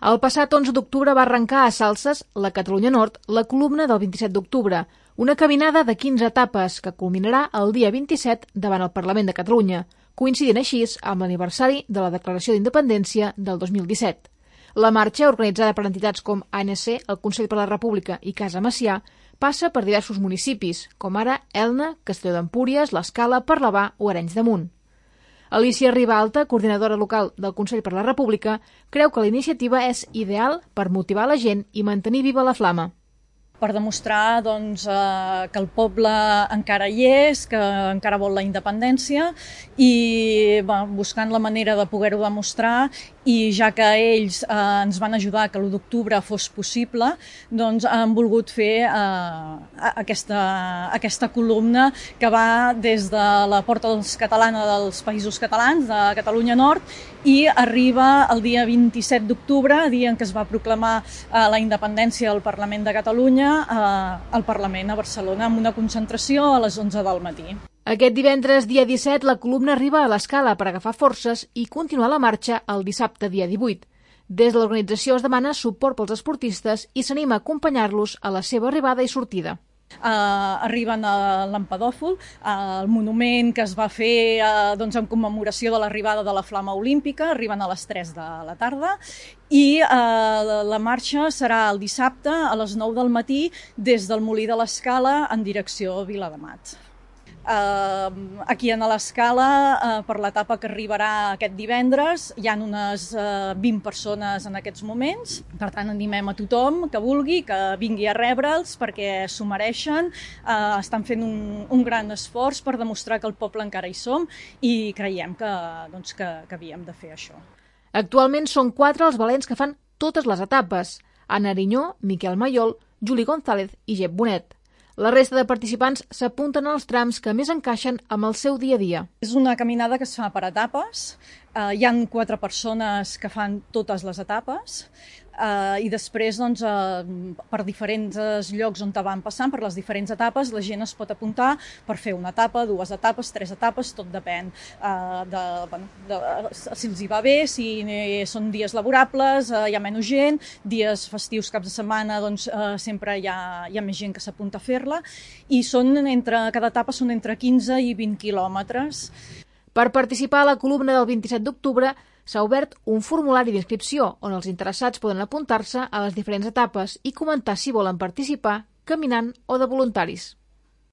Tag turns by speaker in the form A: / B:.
A: El passat 11 d'octubre va arrencar a Salses, la Catalunya Nord, la columna del 27 d'octubre, una caminada de 15 etapes que culminarà el dia 27 davant el Parlament de Catalunya, coincidint així amb l'aniversari de la Declaració d'Independència del 2017. La marxa, organitzada per entitats com ANC, el Consell per la República i Casa Macià, passa per diversos municipis, com ara Elna, Castelló d'Empúries, l'Escala, Parlavà o Arenys de Munt. Alicia Ribalta, coordinadora local del Consell per la República, creu que la iniciativa és ideal per motivar la gent i mantenir viva la flama.
B: Per demostrar que el poble encara hi és, que encara vol la independència i buscant la manera de poder-ho demostrar, i ja que ells ens van ajudar que l'1 d'octubre fos possible, doncs han volgut fer aquesta columna que va des de la Porta Catalana dels Països Catalans, de Catalunya Nord, i arriba el dia 27 d'octubre, dia en què es va proclamar la independència del Parlament de Catalunya, al Parlament a Barcelona, amb una concentració a les 11 del matí.
A: Aquest divendres, dia 17, la columna arriba a l'Escala per agafar forces i continuar la marxa el dissabte, dia 18. Des de l'organització es demana suport pels esportistes i s'anima a acompanyar-los a la seva arribada i sortida.
B: Arriben a l'Empedòfol, el monument que es va fer en commemoració de l'arribada de la Flama Olímpica, arriben a les 3 de la tarda i la marxa serà el dissabte a les 9 del matí des del Molí de l'Escala en direcció a Viladamat. Aquí a l'Escala, per l'etapa que arribarà aquest divendres, hi ha unes 20 persones en aquests moments. Per tant, animem a tothom que vulgui, que vingui a rebre'ls perquè s'ho mereixen. Estan fent un gran esforç per demostrar que el poble encara hi som i creiem que havíem de fer això.
A: Actualment són 4 els valents que fan totes les etapes: Anna Arinyó, Miquel Maiol, Juli González i Jep Bonet. La resta de participants s'apunten als trams que més encaixen amb el seu dia a dia.
B: És una caminada que es fa per etapes. Hi ha 4 persones que fan totes les etapes i després per diferents llocs on van passant, per les diferents etapes, la gent es pot apuntar per fer una etapa, 2 etapes, 3 etapes, tot depèn si els hi va bé, si són dies laborables, hi ha menys gent, dies festius, caps de setmana, sempre hi ha més gent que s'apunta a fer-la i cada etapa són entre 15 i 20 quilòmetres.
A: Per participar a la columna del 27 d'octubre s'ha obert un formulari d'inscripció on els interessats poden apuntar-se a les diferents etapes i comentar si volen participar caminant o de voluntaris.